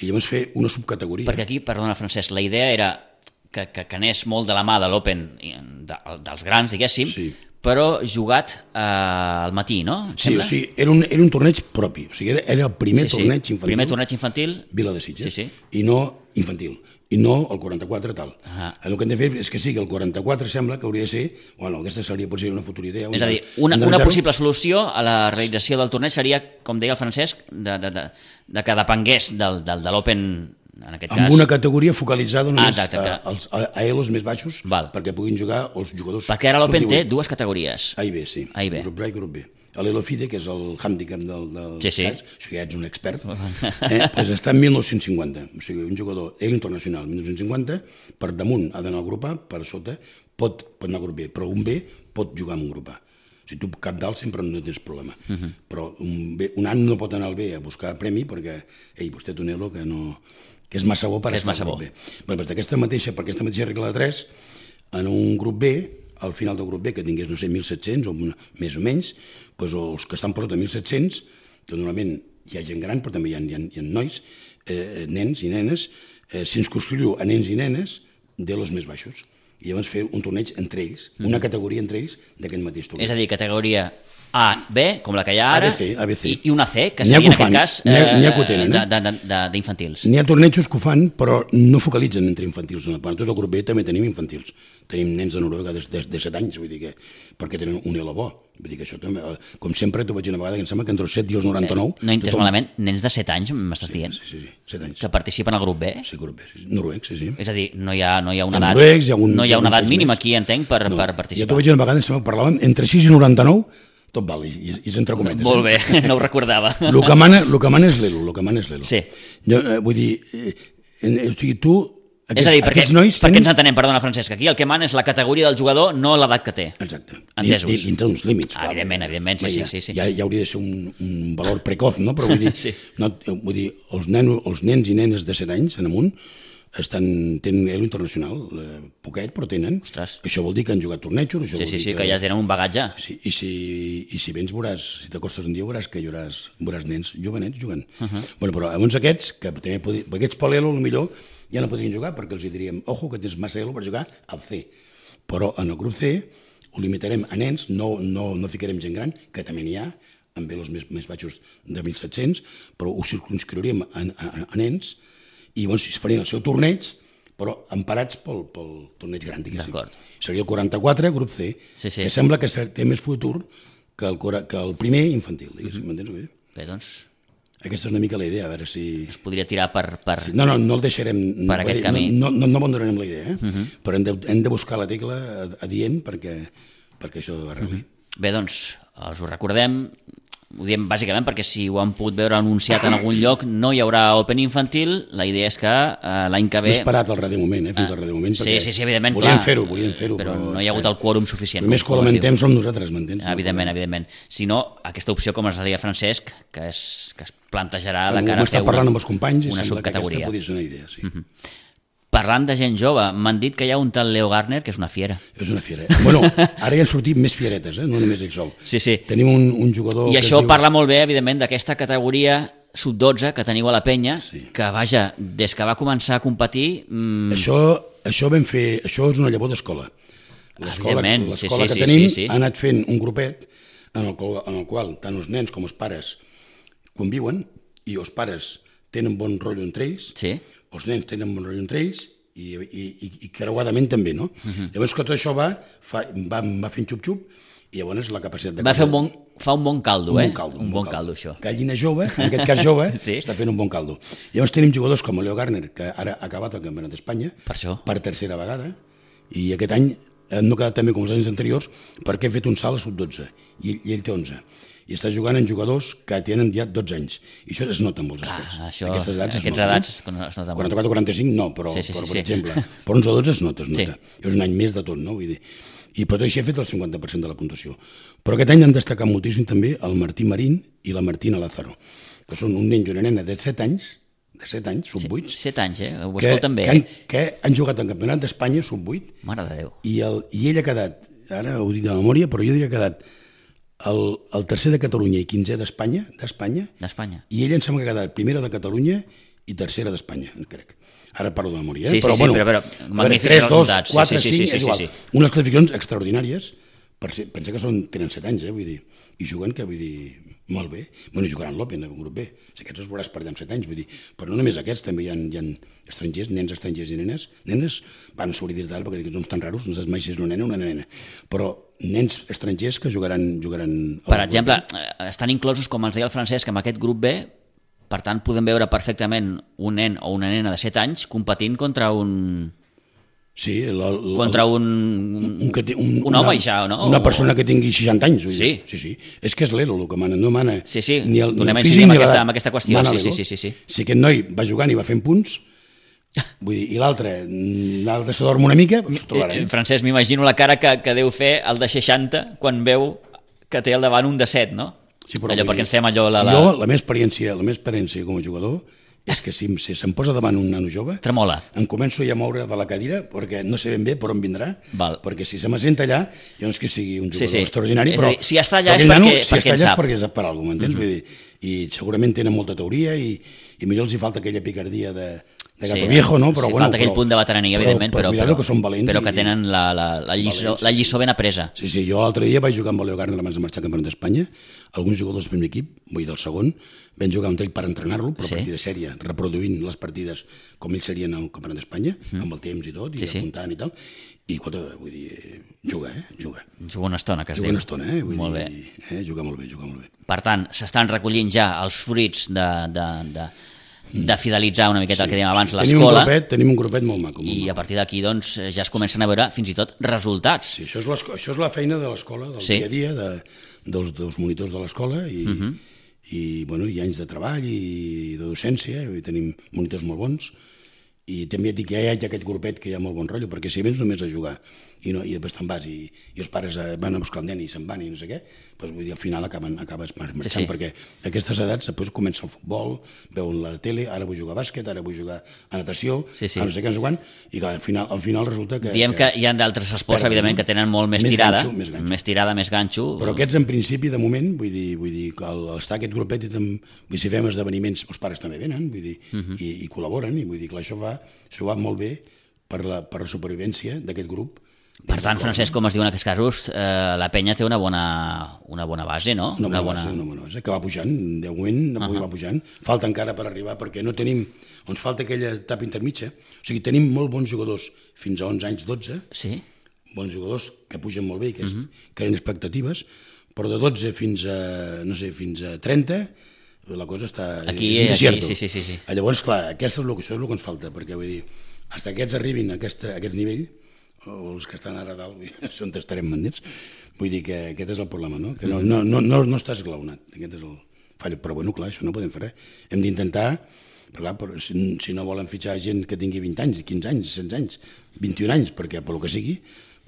i llavors fer una subcategoria. Perquè aquí, perdona Francesc, la idea era que, que, que anés molt de la mà de l'Open de, dels grans, diguéssim, sí. però jugat eh, al matí, no? Sí, o sigui, era un, era un torneig propi, o sigui, era, era el primer sí, torneig sí. infantil. Primer torneig infantil. Vila de Sitges, sí, sí. i no infantil. I no el quaranta-quatre tal. Uh -huh. El que hem de fer és que sigui el quaranta-quatre, sembla que hauria de ser, bueno, aquesta seria potser una futura idea. És a dir, una, una possible solució a la realització del torneig seria, com deia el Francesc, de, de, de, de que depengués del, del, de l'Open, en aquest amb cas. Amb una categoria focalitzada només ah, exacte, a, als, a, a elos més baixos, val. perquè puguin jugar els jugadors. Perquè ara l'Open té dues categories. A i B, sí. A i B. Grup A i grup B. L'Elofide, que és el hàndicap del, del sí, sí. cas, això ja ets un expert, eh, doncs està en mil nou-cents cinquanta. O sigui, un jugador ell internacional, mil nou-cents cinquanta, per damunt ha d'anar al grup A, per sota pot, pot anar al grup B, però un B pot jugar en un grup A. O sigui, tu cap dalt sempre no tens problema. Uh -huh. Però un, B, un any no pot anar al B a buscar premi perquè, ei, vostè toneu-lo que no... que és massa bo per estar al grup B. Bé, doncs d'aquesta mateixa, per aquesta mateixa regla de tres, en un grup B, al final del grup B, que tingués, no sé, mil set-cents o una, més o menys, doncs els que estan per sota mil set-cents, que normalment hi ha gent gran, però també hi ha, hi ha, hi ha nois, eh, nens i nenes, eh, circunscriu a nens i nenes de los més baixos. I llavors fer un torneig entre ells, una categoria entre ells d'aquest mateix torneig. És a dir, categoria A, B, com la que hi ha ara, A B C, A B C. I, i una C, que seria en aquest cas eh, d'infantils. N'hi ha tornejos que ho fan, però no focalitzen entre infantils. Nosaltres al grup B també tenim infantils. Tenim nens de Noruega de, de, de set anys, vull dir que, perquè tenen un elo bo. Vull dir que això també, com sempre, t'ho vaig dir una vegada, que em sembla que entre els set i els noranta-nou... Eh, no he entès tothom... malament, nens de set anys, m'estàs sí, dient? Sí, sí, sí, set anys. Que participen al grup B? Sí, grup B, sí, noruecs, sí, sí. És a dir, no hi ha, no hi ha una edat, noruecs, hi ha un, no hi ha una edat mínima més. aquí, entenc, per, no, per participar. Jo t'ho vaig dir una vegada, em sembla que parlàvem entre sis i noranta-nou, tot val, i, i és entre cometes. Molt bé, eh? No ho recordava. El que mana, el que mana és l'elo, el que mana és l'elo. Sí. Jo, eh, vull dir, eh, eh, o sigui, tu... Aquests, és a dir, perquè, nois perquè tenen... ens entenem, perdona Francesc, aquí el que mana és la categoria del jugador, no l'edat que té. Exacte. Entesos. I, dintre d'uns límits. Ah, evidentment, evidentment, sí, ja, sí, sí. Ja, ja hauria de ser un, un valor precoz, no? Però vull dir, sí. no, vull dir els, nenos, els nens i nenes de set anys en amunt estan, tenen elo internacional, eh, poquet, però tenen. Ostres. Això vol dir que han jugat tornejos. Això sí, vol sí, dir sí, que, que ja tenen un bagatge. Sí, i, si, I si vens veuràs, si t'acostes un dia veuràs que hi hauràs, veuràs nens jovenets jugant. Uh -huh. bueno, però llavors aquests, que també podri, aquests per l'elo, potser ja no podrien jugar perquè els diríem, ojo, que tens massa elo per jugar al C. Però en el grup C ho limitarem a nens, no, no, no ficarem gent gran, que també n'hi ha, amb elos més, més baixos de mil set-cents, però ho circunscriuríem a, a, a nens, i llavors es farien el seu torneig, però emparats pel, pel torneig gran, diguéssim. Seria el quaranta-quatre, grup C, sí, sí. que sembla que té més futur que el, que el primer infantil, diguéssim, mm-hmm. m'entens? Bé, doncs... Aquesta és una mica la idea, a veure si... Es podria tirar per... per... Sí, no, no, no el deixarem... Per aquest dir, camí. No, no, no abandonarem la idea, eh? Uh -huh. Però hem de, hem de buscar la tecla adient perquè, perquè això arregli. Uh -huh. Bé, doncs, els ho recordem, ho diem bàsicament perquè si ho han pogut veure anunciat en algun lloc, no hi haurà Open infantil, la idea és que uh, l'any que ve... No he esperat el darrer moment, eh, fins al darrer moment, sí, sí, sí, evidentment, volíem clar, fer-ho, volíem fer-ho, però, però no hi ha hagut el quòrum suficient. Els més que ho lamentem som nosaltres, m'entens? Evidentment, evidentment. Si no, aquesta opció, com ens deia Francesc, que es, que es plantejarà de Bueno, cara a fer parlant una, amb els companys i una sembla subcategoria. que aquesta podria ser una idea, sí. Uh-huh. Parlant de gent jove, m'han dit que hi ha un tal Leo Garner que és una fiera. És una fiera. Bueno, ara hi han sortit més fieretes, eh? No només ell sol. Sí, sí. Tenim un, un jugador... I que això es diu... parla molt bé, evidentment, d'aquesta categoria sub dotze que teniu a la penya, Sí. que, vaja, des que va començar a competir... Mmm, Això, això vam fer... Això és una llavor d'escola. L'escola Evidentment, sí, l'escola sí, que sí, tenim sí, sí. ha anat fent un grupet en el, qual, en el qual tant els nens com els pares conviuen i els pares tenen bon rotllo entre ells, Sí. els nens tenen bon rotllo entre ells i, i, i, i creuadament també, no? Uh -huh. Llavors que tot això va, fa, va, va fent xup-xup i llavors la capacitat de... Va fer un bon, fa un bon caldo, un eh? bon caldo, un bon caldo, això. Gallina jove, en aquest cas jove, Sí. està fent un bon caldo. Llavors tenim jugadors com el Leo Garner, que ara ha acabat el Campionat d'Espanya, Per això. per tercera vegada, i aquest any eh, no ha quedat també com els anys anteriors perquè he fet un salt a sub dotze, i, i ell té onze. I està jugant en jugadors que tenen ja dotze anys. I això es nota en molts Clar, aspectes. això, Aquestes edats es aquests noten, edats eh? es nota molt. quaranta-quatre o quaranta-cinc no, però, Sí, sí, sí, però per sí. exemple, per onze o dotze es nota, es nota. Sí. És un any més de tot, no? Vull dir, i per tot així he fet el cinquanta per cent de la puntuació. Però aquest any han destacat moltíssim també el Martí Marín i la Martina Lázaro, que són un nen i una nena de set anys, de set anys, sub vuit, Set anys, eh? Ho que, escolten bé. que, han, que han jugat al Campionat d'Espanya sub vuit Mare de Déu. i, el, i ell ha quedat, ara ho dic de memòria, però jo diria que ha quedat el, el tercer de Catalunya i quinzè d'Espanya, d'Espanya, D'Espanya. i ell em sembla que ha quedat primera de Catalunya i tercera d'Espanya, crec. Ara parlo de memòria, eh? Sí, sí, però, sí, bueno, però- però a veure, magnífics tres, dos, resultats. Sí, quatre, sí, sí, cinc, sí, sí, és igual. sí. Unes classificacions extraordinàries, per ser, pensa que són, tenen set anys, eh? Vull dir, i juguen, que vull dir, molt bé. Bueno, jugaran l'Open, un grup B. Si aquests els veuràs per allà amb set anys, vull dir, però no només aquests, també hi ha, hi ha estrangers, nens estrangers i nenes. Nenes, van s'hauria dir tal, perquè aquests noms tan raros, no saps mai si és una nena o una nena. Però nens estrangers que jugaran... jugaran Per exemple, eh, estan inclosos, com ens deia el Francesc, amb aquest grup B, per tant, podem veure perfectament un nen o una nena de set anys competint contra un... Sí, la, la, contra un, un, que té, un, un home, ja, no? Una persona que tingui seixanta anys. Vull Sí. dir. Sí, sí. És que és l'Elo el que mana, no mana Sí, sí, ni el, ni donem el a físic incidir ni amb aquesta- l'edat. amb aquesta qüestió, Mana sí, l'Elo. sí, sí, sí, sí. Si aquest noi va jugant i va fent punts, vull dir, i l'altre l'altre se dorm una mica, doncs Eh, trobarem. Francesc, m'imagino la cara que, que deu fer el de seixanta quan veu que té al davant un de set, no? Sí, però allò vull perquè dir, ens fem allò... La, la... Jo, la meva experiència, la meva experiència com a jugador és que si, si se'm posa davant un nano jove, Tremola. em començo ja a moure de la cadira perquè no sé ben bé per on vindrà, Val. perquè si se m'assenta allà, jo no és que sigui un Sí, jugador sí. extraordinari, És a però, dir, si està allà però és aquell nano, perquè- si perquè està en allà sap. és perquè sap per alguna cosa, m'entens? Mm -hmm. Vull dir, i segurament tenen molta teoria i, i millor els hi falta aquella picardia de, de gato Sí, viejo, no? Però, sí, bueno, falta aquell però, punt de veterania, evidentment, però, cuidado però, que són valents però que i- tenen la, la, la, lliçó, Valents, la lliçó ben apresa. Sí, sí, jo l'altre dia vaig jugar amb el Leo Garner abans de marxar al Campionat d'Espanya. Alguns jugadors del primer equip, vull dir del segon, vam jugar amb ell per entrenar-lo, però Sí. a partir de sèrie, reproduint les partides com ells serien al Campionat d'Espanya, mm. amb el temps i tot, i Sí, sí. apuntant i tal. I, escolta, vull dir, juga, eh? Juga. Juga una estona, que es Juga diu. una estona, eh? Vull Molt dir, bé. Eh? Juga molt bé, juga molt bé. Per tant, s'estan recollint ja els fruits de, de, de, de fidelitzar una miqueta el que dèiem abans Tenim un l'escola, grupet, tenim un grupet molt maco. Molt i maco. a partir d'aquí doncs, ja es comencen a veure fins i tot resultats. Sí, això és, l'esco- això és la feina de l'escola, del Sí. dia a dia, de, dels, dels monitors de l'escola, i, uh -huh. i, bueno, hi ha anys de treball i de docència, i tenim monitors molt bons, i també et dic que hi ha aquest grupet que hi ha molt bon rotllo, perquè si vens només a jugar i, no, i després te'n vas i, i els pares eh, van a buscar el nen i se'n van i no sé què, doncs vull dir, al final acaben, acabes marxant, Sí, sí. perquè a aquestes edats després comença el futbol, veuen la tele, ara vull jugar a bàsquet, ara vull jugar a natació, Sí, sí. a no sé què, no sé quan, i clar, al final, al final resulta que... Diem que hi ha d'altres esports, Perden, evidentment, no? que tenen molt més, Més tirada, ganxo, més ganxo. més tirada, més ganxo. Però aquests, en principi, de moment, vull dir, vull dir que al estar aquest grupet, i tam, vull dir, si fem esdeveniments, els pares també venen, vull dir, uh -huh. i, i col·laboren, i vull dir, clar, això va, això va molt bé per la, per la supervivència d'aquest grup. Per tant, Francesc, com es diu en aquests casos, eh, la penya té una bona, una bona base, no? Una bona, base, una bona base, que va pujant, de moment uh -huh. va pujant. Falta encara per arribar, perquè no tenim, ens falta aquella etapa intermitja. O sigui, tenim molt bons jugadors fins a onze anys, dotze, Sí? bons jugadors que pugen molt bé i que, es, uh -huh. creen expectatives, però de dotze fins a, no sé, fins a trenta la cosa està... Aquí, és un aquí, desierto. sí, sí, sí, sí. Llavors, clar, aquesta és el, això és el que ens falta, perquè vull dir, fins que aquests arribin a, aquesta, a aquest nivell, o els que estan ara a dalt, on estarem mandits, vull dir que aquest és el problema, no? Que no, no, no, no, no està esglaonat, aquest és el fall. Però bueno, clar, això no podem fer res. Hem d'intentar, clar, però si, si no volen fitxar gent que tingui vint anys, quinze anys, setze anys, vint-i-un anys, perquè per lo que sigui,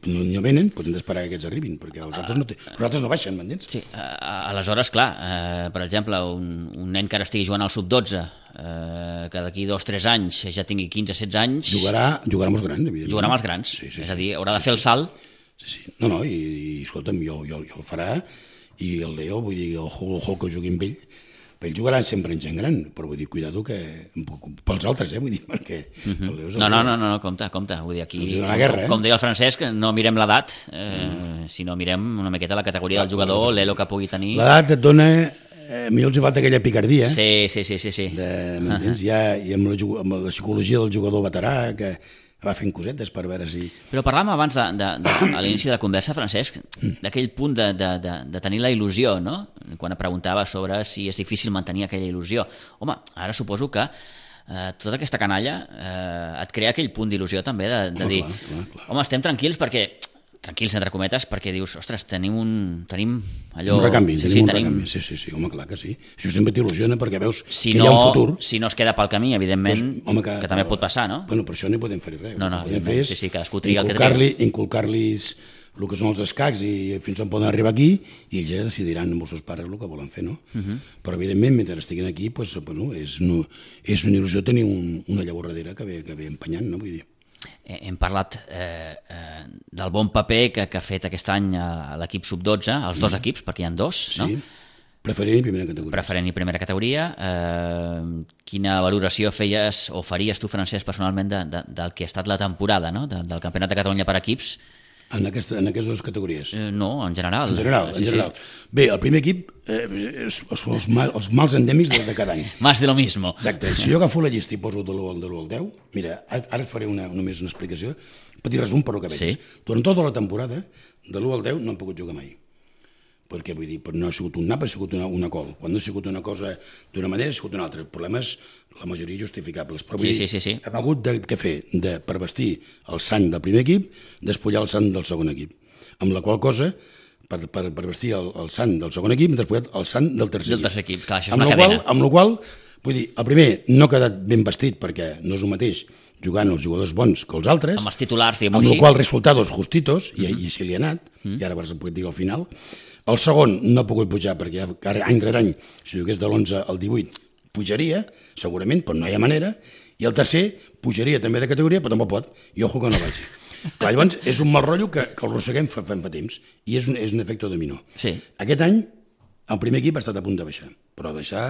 no, no venen, doncs hem d'esperar que aquests arribin, perquè els altres no, té, els altres no baixen, m'entens? Sí, aleshores, clar, eh, per exemple, un, un nen que ara estigui jugant al sub dotze, eh, que d'aquí dos o tres anys ja tingui quinze o setze anys... Jugarà, jugarà amb els grans, evidentment. Jugarà amb els grans, sí, sí, és a dir, haurà sí, de fer el salt... Sí, sí. No, no, i, i escolta'm, jo, jo, jo el farà, i el Leo, vull dir, el Hulk que jugui amb ell, ell jugarà sempre en gent gran, però vull dir, cuidado que... pels altres, eh, vull dir, perquè... Uh-huh. El Leo és el no, no, no, no, no, compte, compte, vull dir, aquí, guerra, eh? com, com deia el Francesc, no mirem l'edat, eh, mm. sinó mirem una miqueta la categoria del jugador, l'elo que pugui tenir... L'edat et dona... Eh, millor els hi falta aquella picardia. Sí, sí, sí, sí. sí. De, m'entens? Uh-huh. Ja, i amb la, amb la psicologia del jugador veterà, que va fent cosetes per veure si... Però parlàvem abans, de, de, de, a l'inici de la conversa, Francesc, d'aquell punt de, de, de, de tenir la il·lusió, no? Quan et preguntava sobre si és difícil mantenir aquella il·lusió. Home, ara suposo que eh, tota aquesta canalla eh, et crea aquell punt d'il·lusió també, de, de dir, clar, clar, clar. home, estem tranquils perquè... tranquils, entre cometes, perquè dius, ostres, tenim un... tenim allò... Un recanvi, sí, tenim sí, un tenim... recanvi, sí, sí, sí, home, clar que sí. Això sempre t'il·lusiona perquè veus si que no, hi ha un futur. Si no es queda pel camí, evidentment, pues, home, que, que també pot passar, no? Bueno, per això no hi podem fer res. No, no, el que podem fer és sí, sí, cadascú triga el que inculcar-li, inculcar-los el que són els escacs i fins on poden arribar aquí i ells ja decidiran amb els seus pares el que volen fer, no? Uh-huh. Però, evidentment, mentre estiguin aquí, pues, bueno, és, no, és una il·lusió tenir un, una llavor darrere que ve, que ve empenyant, no? Vull dir. Hem parlat eh, eh, del bon paper que, que ha fet aquest any a l'equip sub dotze, els dos equips, perquè hi ha dos, no? Sí, preferent i primera categoria. Preferent i primera categoria. Eh, quina valoració feies o faries tu, Francesc, personalment de, de, del que ha estat la temporada, no? de, del Campionat de Catalunya per equips? En, aquesta, en aquestes dues categories? Eh, no, en general. En general, sí, en general. Sí. Bé, el primer equip eh, són els, mal, els mals endèmics de, de cada any. Más de lo mismo. Exacte. Si jo agafo la llista i poso de l'u al deu, mira, ara faré una, només una explicació, un petit resum per el que veig. Sí. Durant tota la temporada, de l'u al deu no han pogut jugar mai. Perquè, vull dir, no ha sigut un nap, ha sigut una, una col. Quan no ha sigut una cosa d'una manera, ha sigut una altra. El problema és la majoria justificables. Però vull sí, dir, sí, sí, sí. hem hagut de, de fer, de, per vestir el sant del primer equip, despullar el sant del segon equip. Amb la qual cosa, per, per, per vestir el, el sant del segon equip, hem despullat el sant del tercer del equip. Tercer equip. Clar, això és amb una qual, cadena. amb la qual, vull dir, el primer no ha quedat ben vestit perquè no és el mateix jugant els jugadors bons que els altres. Amb els titulars, diguem-ho així. Amb així. la qual resultados justitos, i, uh-huh. i així li ha anat, uh-huh. i ara vas a poder dir al final. El segon no ha pogut pujar perquè any rere any, si jugués de l'onze al divuit, pujaria, segurament, però no hi ha manera, i el tercer pujaria també de categoria, però tampoc pot, i ojo que no vagi. Clar, llavors, és un mal rotllo que, que el rosseguem fa, fa, fa temps, i és un, és un efecte dominó. Sí. Aquest any, el primer equip ha estat a punt de baixar, però baixar,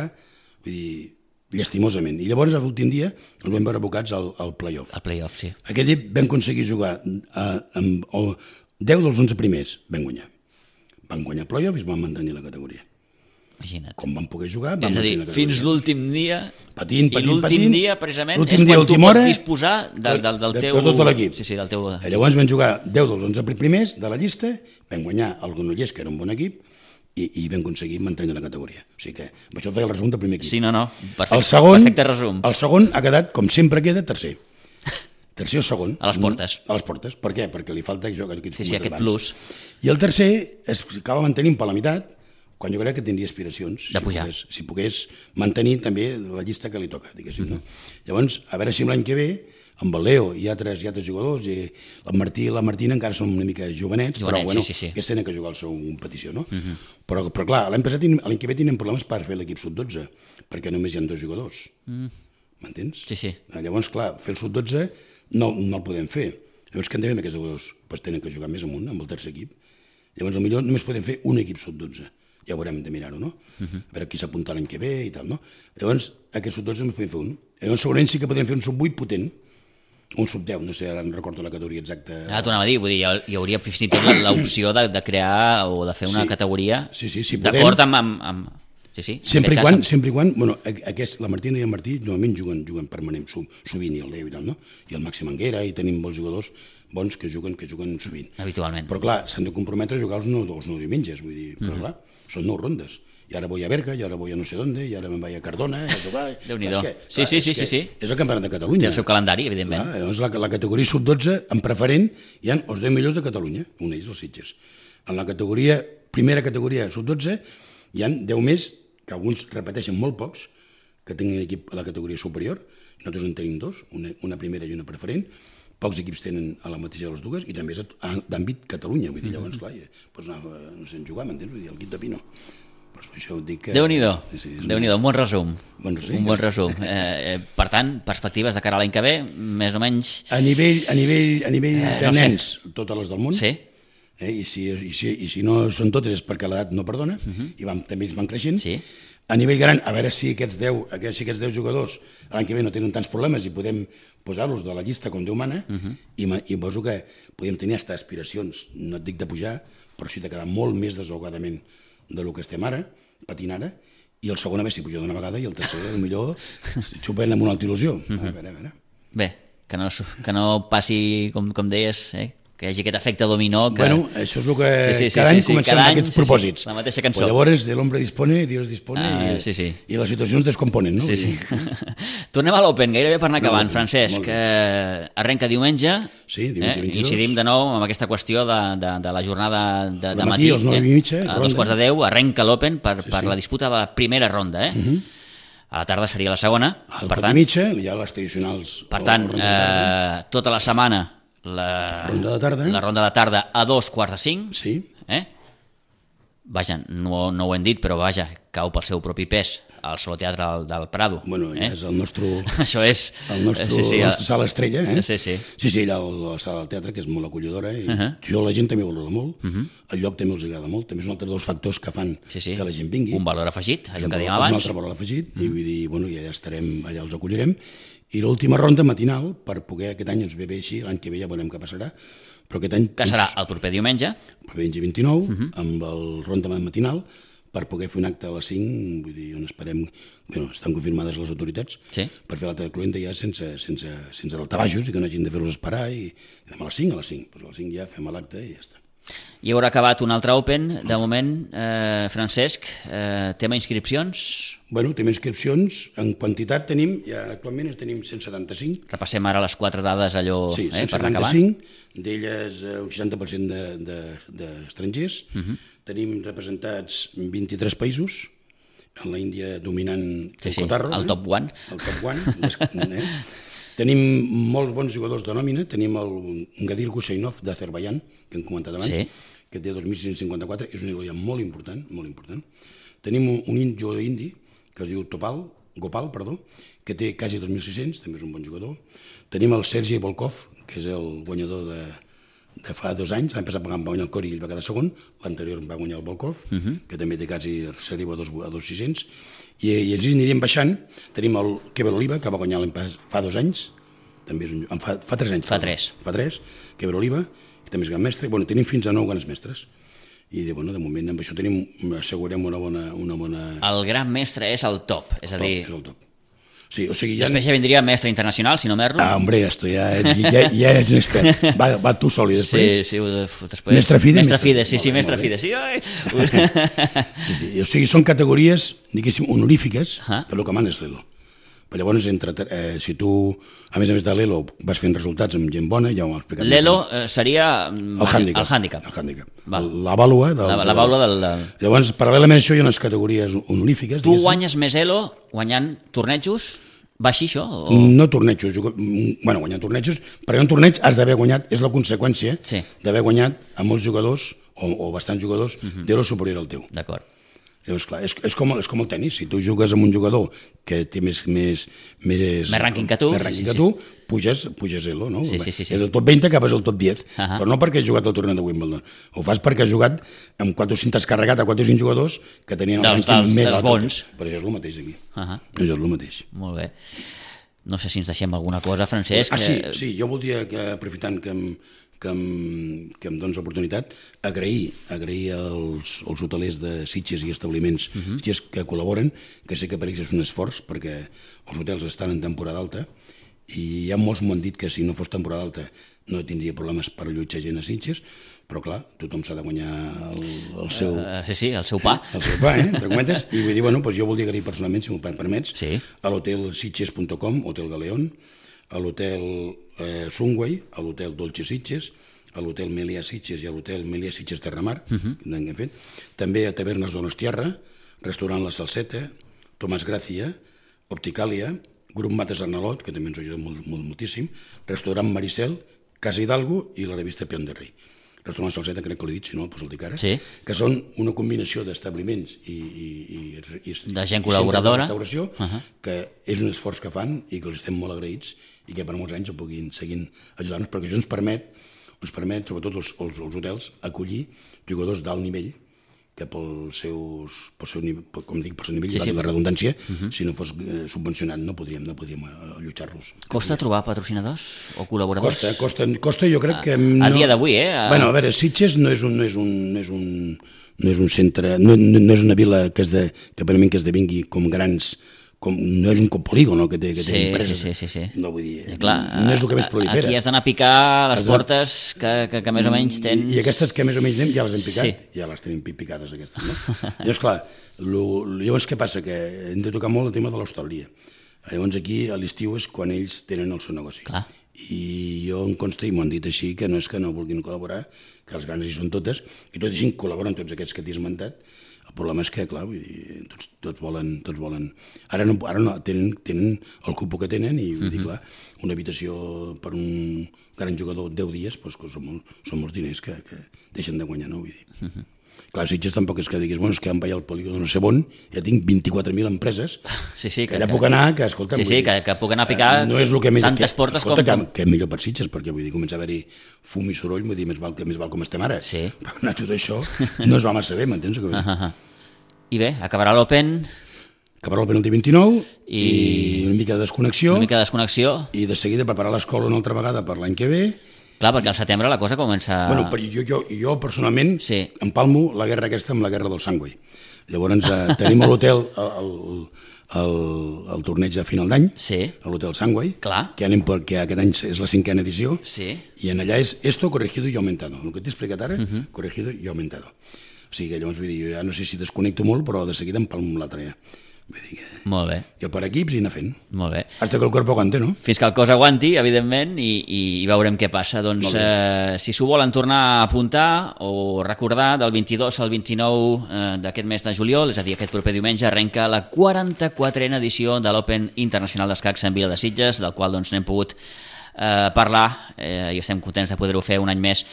vull dir, llastimosament. I llavors, l'últim dia, el vam veure abocats al, al play-off. Al play-off, sí. Aquell dia vam aconseguir jugar a, amb o deu dels onze primers, vam guanyar. Van guanyar play-off i es van mantenir la categoria. Imagina't. Com van poder jugar, van és a dir, mantenir la fins categoria. l'últim dia, patint, patint, i l'últim dia, precisament, és dia, quan tu pots hora, disposar del, del, del de, teu... de tot l'equip. Sí, sí, del teu... Llavors vam jugar deu dels onze primers de la llista, vam guanyar el Granollers, que era un bon equip, i, i vam aconseguir mantenir la categoria. O sigui que això feia el resum del primer equip. Sí, no, no, perfecte, el segon, perfecte resum. El segon ha quedat, com sempre queda, tercer. Tercer o segon. A les portes. A les portes. Per què? Perquè li falta això que sí, sí, aquest plus. I el tercer es acaba mantenint per la meitat, quan jo crec que tindria aspiracions. De pujar. Si pogués, si pogués mantenir també la llista que li toca, diguéssim. Mm-hmm. No? Llavors, a veure si l'any que ve, amb el Leo hi ha tres, hi ha tres jugadors, i el Martí i la Martina encara són una mica jovenets, jovenets però bueno, sí, sí, sí. que tenen que jugar la seva competició, no? Mm-hmm. Però, però clar, l'any passat, l'any que ve tenen problemes per fer l'equip sub dotze, perquè només hi ha dos jugadors. Mm. M'entens? Sí, sí. Llavors, clar, fer el sub dotze no, no el podem fer. Llavors, què en devem aquests jugadors? Pues tenen que jugar més amunt, amb el tercer equip. Llavors, potser només podem fer un equip sub dotze. Ja haurem de mirar-ho, no? Uh-huh. A veure qui s'apunta l'any que ve i tal, no? Llavors, aquest sub dotze només podem fer un. Llavors, segurament sí que podríem fer un sub vuit potent, un sub deu, no sé, ara no recordo la categoria exacta. Ah, t'ho anava a dir, vull dir, hi hauria fins i tot l'opció de, de crear o de fer una sí. categoria sí, sí, sí, d'acord amb, amb, amb... Sí, sí, sempre i cas, quan, amb... sempre i quan, bueno, aquest, la Martina i el Martí normalment juguen, juguen permanent, sovint, i el Leo i tal, no? I el Màxim Anguera, i tenim molts jugadors bons que juguen que juguen sovint. Habitualment. Però clar, s'han de comprometre a jugar els nou, els nou diumenges, vull dir, però mm-hmm. clar, són nou rondes. i ara voy a Berga, i ara voy a no sé dónde, i ara me'n vaig a Cardona, a jugar... Déu-n'hi-do. Sí, sí, sí, sí, sí. És el campionat de Catalunya. Té el seu calendari, evidentment. Clar, llavors la, la categoria sub dotze, en preferent, hi ha els deu millors de Catalunya, un d'ells, els Sitges. En la categoria, primera categoria sub dotze, hi ha deu més, que alguns repeteixen molt pocs, que tenen equip a la categoria superior, nosaltres en tenim dos, una, una primera i una preferent, pocs equips tenen a la mateixa de les dues, i també és d'àmbit Catalunya, vull dir, llavors, clar, pots anar, no sé, jugar, m'entens? Vull dir, el Quit de Pino. Pues això ho dic que... Déu-n'hi-do, sí, Déu-n'hi-do, un bon resum. Bon resum. Un bon resum. Eh, eh, per tant, perspectives de cara a l'any que ve, més o menys... A nivell, a nivell, a nivell Eh, de no sé. nens, totes les del món, Sí, eh? I, si, i, si, i si no són totes és perquè l'edat no perdona, i van, també ells van creixent. sí. A nivell gran, a veure si aquests deu, aquests, si aquests deu jugadors l'any que ve no tenen tants problemes i podem posar-los de la llista com Déu mana, uh -huh. i, ma- i poso que podem tenir hasta aspiracions, no et dic de pujar, però sí de quedar molt més desahogadament de lo que estem ara, patint ara, i el segon a veure si puja d'una vegada i el tercer, millor xupen amb una altra il·lusió. Uh -huh. A veure, a veure. Bé, que no, que no passi, com, com deies, eh? Que hi hagi aquest efecte dominó. Que... Bueno, això és el que Sí, sí, sí, cada sí, any sí, comencem cada amb any, aquests sí, sí, propòsits. la mateixa cançó. Pues llavors, el hombre dispone, Dios dispone, Ah, i, sí, sí. i les situacions descomponen, no? Sí, sí. Tornem a l'Open, gairebé per anar No, acabant, molt Francesc. bé. Eh, arrenca diumenge. Sí, diumenge eh? vint-i-dos. Incidim de nou amb aquesta qüestió de, de, de la jornada de, de De matí. matí, als nou i mitja, a ronda. dos quarts de deu, arrenca l'Open per, Sí, per sí. la disputa de la primera ronda. Eh? Uh -huh. A la tarda seria la segona. Al Per per tant, mitja, hi ha les tradicionals... per o tant ronda de tarda. eh, tota la setmana la Ronda de tarda. la ronda de tarda a dos quarts de cinc. Sí, Eh? Vaja, no, no ho hem dit, però vaja, cau pel seu propi pes al Saló Teatre del, del Prado. bueno, ja eh? és el nostre... Això és... El nostre, sí, sí, la nostra sala estrella, eh? Sí, sí. Sí, sí, allà a la sala del teatre, que és molt acollidora, i Uh -huh. jo la gent també ho valora molt, uh -huh. el lloc també els agrada molt, també és un altre dels factors que fan Sí, sí. que la gent vingui. Un valor afegit, allò És que un dèiem valor- És un abans. altre valor afegit, i vull dir, bueno, ja estarem, allà els acollirem. I l'última ronda matinal, per poder, aquest any ens ve bé així, l'any que ve ja veurem què passarà, però aquest any... Que serà el proper diumenge. Diumenge vint-i-nou, uh -huh. amb el ronda matinal, per poder fer un acte a les cinc, vull dir, on esperem, bueno, estan confirmades les autoritats, Sí. per fer l'acte de cluenta ja sense, sense, sense daltabajos i que no hagin de fer-los esperar, i, i a les cinc, a les cinc, doncs a les cinc ja fem l'acte i ja està. I haurà acabat un altre Open. De moment, eh, Francesc, eh, tema inscripcions. Bueno, tenim inscripcions, en quantitat tenim, ja actualment en tenim cent setanta-cinc, Repassem ara les quatre dades allò sí, eh, cent per anar acabant. setanta-cinc, d'elles eh, un seixanta per cent d'estrangers, de, de, uh -huh. tenim representats vint-i-tres països, en la Índia dominant Sí, el sí, cotarro, el eh? top one. El top one, eh? Tenim molts bons jugadors de nòmina, tenim el Gadir Gusainov d'Azerbaiyán, que hem comentat abans, Sí. que té dos mil sis-cents cinquanta-quatre, és un eloia molt important, molt important. Tenim un, un jugador indi, que es diu Topal, Gopal, perdó, que té quasi dos mil sis-cents, també és un bon jugador. Tenim el Sergei Volkov, que és el guanyador de, de fa dos anys, l'any passat va guanyar el Cori i ell va quedar segon, l'anterior va guanyar el Volkov, uh -huh. que també té quasi, s'arriba a dos mil sis-cents, i, i ens aniríem baixant. Tenim el Keber Oliva, que va guanyar l'any pas, fa dos anys, també és un, fa, fa tres anys. Fa tres. Fa tres, Keber Oliva, que també és gran mestre. Bueno, tenim fins a nou grans mestres. I de, bueno, de moment amb això tenim, assegurem una bona... Una bona... El gran mestre és el top, és a dir... És el top. Sí, o sigui, ja... Després ja vindria mestre internacional, si no m'erro. Ah, hombre, esto ja, ja, ja ets un expert. Va, va tu sol i després... Sí, sí, després... Mestre Fide, Mestre mestre- Fide, sí, sí, molt bé, mestre molt bé. Fide, sí. Ai. Sí, sí, o sigui, són categories, diguéssim, honorífiques, Ah. que el que mana és l'Elo. Però llavors, entre, eh, si tu, a més a més de l'Elo, vas fent resultats amb gent bona, ja ho hem explicat. L'Elo eh, seria... El hàndicap. El hàndicap. El hàndicap. Val. La vàlua. Del, La, la baula del... del... Llavors, paral·lelament a això, hi ha unes categories honorífiques. Tu diguéssim. guanyes més Elo guanyant tornejos? Va així, això? O... No tornejos, jo, bueno, guanyant tornejos, però en torneig has d'haver guanyat, és la conseqüència Sí. d'haver guanyat a molts jugadors, o, o bastants jugadors, uh -huh. d'Elo superior al teu. D'acord. Llavors, clar, és, és, com, és com el tenis, si tu jugues amb un jugador que té més... Més, més, Més rànquing que tu, més sí, rànquing sí, que sí. tu, puges, puges Elo, no? Sí, sí, sí, sí. És el top vint, acabes al top deu, Ahà. però no perquè has jugat al torneig de Wimbledon, ho fas perquè has jugat amb quatre o cinc, t'has carregat a quatre o cinc jugadors que tenien el Dels- rànquing dels- més dels alt. bons. Però això és el mateix aquí. Ahà. Això és el mateix. Molt bé. No sé si ens deixem alguna cosa, Francesc. Ah, sí, eh, sí, jo voldria, que, aprofitant que em, que em, que em dones l'oportunitat, agrair, agrair als, als hotelers de Sitges i establiments uh -huh. que col·laboren, que sé que per ells és un esforç, perquè els hotels estan en temporada alta, i ja molts m'ho han dit que si no fos temporada alta no tindria problemes per allotjar gent a Sitges, però clar, tothom s'ha de guanyar el, el seu... Uh, sí, sí, el seu pa. El seu pa, eh? Entre comentes. I vull dir, bueno, doncs jo voldria agrair personalment, si m'ho permets, sí. a l'hotel sitges punt com, Hotel Galeón, a l'hotel eh, Sunway, a l'hotel Dolce Sitges, a l'hotel Melià Sitges i a l'hotel Melià Sitges Terramar, uh -huh. que hem fet. També a Tavernes Donostiarra, restaurant La Salseta, Tomàs Gràcia, Opticàlia, Grup Mates Arnalot, que també ens ajuda molt, molt, moltíssim, restaurant Maricel, Casa Hidalgo i la revista Peón de Rei. Restaurant Salseta, crec que l'he dit, si no el poso el dic ara, sí. que són una combinació d'establiments i, i, i, i de gent col·laboradora, de restauració, uh -huh. que és un esforç que fan i que els estem molt agraïts i que per molts anys ho puguin seguir ajudant-nos, perquè això ens permet, ens permet sobretot els, els, els hotels, acollir jugadors d'alt nivell que pel seus, pel seu nivell, com dic, pel seu nivell, sí, sí, la redundància, uh -huh. si no fos eh, subvencionat no podríem, no podríem allotjar-los. Costa trobar patrocinadors o col·laboradors? Costa, costa, costa jo crec a, que... No... A dia d'avui, eh? A... Bueno, a veure, Sitges no és un, no és un, no és un, no és un centre, no, no és una vila que, és de, que per a mi que esdevingui com grans... Com, no és un polígon que té, que té sí, empreses. Sí, sí, sí, sí. No vull dir, I clar, no és el que més prolifera. Aquí has d'anar a picar les Exacte. portes que, que, que més o menys tens... I, I aquestes que més o menys anem ja les hem picat, sí. ja les tenim picades aquestes, no? Llavors, clar, lo, llavors què passa? Que hem de tocar molt el tema de l'hostaleria. Llavors aquí a l'estiu és quan ells tenen el seu negoci. Clar. I jo em consta, i m'ho han dit així, que no és que no vulguin col·laborar, que les ganes hi són totes, i tot i així col·laboren tots aquests que t'he esmentat. El problema és que, clar, vull dir, tots, tots, volen, tots volen... Ara no, ara no tenen, tenen el cupo que tenen i, vull dir, clar, una habitació per un gran jugador deu dies, doncs, que són, molt, són molts diners que, que deixen de guanyar, no? Vull dir. Uh-huh. Clar, Sitges tampoc és que diguis, bueno, és que em vaig al polígon no sé on, ja tinc vint-i-quatre mil empreses, sí, sí, que, que allà que, puc anar, que, escolta... Sí, sí, que, que puc anar a picar no és el que més, tantes que, portes escolta, com... Que, que millor per Sitges, perquè vull dir, comença a haver-hi fum i soroll, vull dir, més val, que més val com estem ara. Sí. Però nosaltres això no es va massa bé, m'entens? Uh -huh. I bé, acabarà l'Open... Acabarà l'Open el dia vint-i-nou I... i una mica de desconnexió. Una mica de desconnexió. I de seguida preparar l'escola una altra vegada per l'any que ve. Clar, perquè al setembre la cosa comença... Bueno, però jo, jo, jo personalment sí. empalmo la guerra aquesta amb la guerra del Sunway. Llavors eh, tenim a l'hotel el, el, el torneig de final d'any, sí. a l'hotel Sunway, Clar. que anem perquè aquest any és la cinquena edició, sí. i en allà és esto corregido y aumentado. El que t'he explicat ara, uh -huh. corregido y aumentado. O sigui que llavors vull dir, jo ja no sé si desconnecto molt, però de seguida empalmo amb l'altre ja. Vull dir que... Molt bé. I el per equips i anar fent. Molt bé. Hasta que el corpo aguante, no? Fins que el cos aguanti, evidentment, i, i veurem què passa. Doncs eh, si s'ho volen tornar a apuntar o recordar, del vint-i-dos al vint-i-nou eh, d'aquest mes de juliol, és a dir, aquest proper diumenge, arrenca la quaranta-quatrena edició de l'Open Internacional d'Escacs en Vila de Sitges, del qual doncs, n'hem pogut eh, parlar eh, i estem contents de poder-ho fer un any més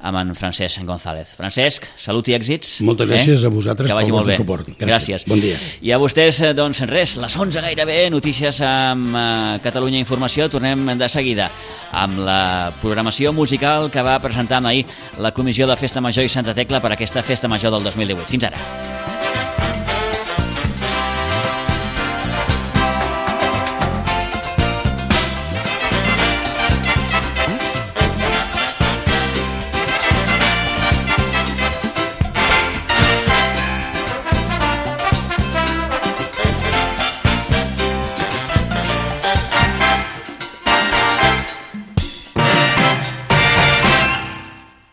amb en Francesc González. Francesc, salut i èxits. Moltes gràcies eh? a vosaltres que vagi pel molt vostre bé. suport. Gràcies. gràcies. Bon dia. I a vostès, doncs res, les onze gairebé, notícies amb eh, Catalunya Informació. Tornem de seguida amb la programació musical que va presentar ahir la Comissió de Festa Major i Santa Tecla per aquesta Festa Major del dos mil divuit. Fins ara.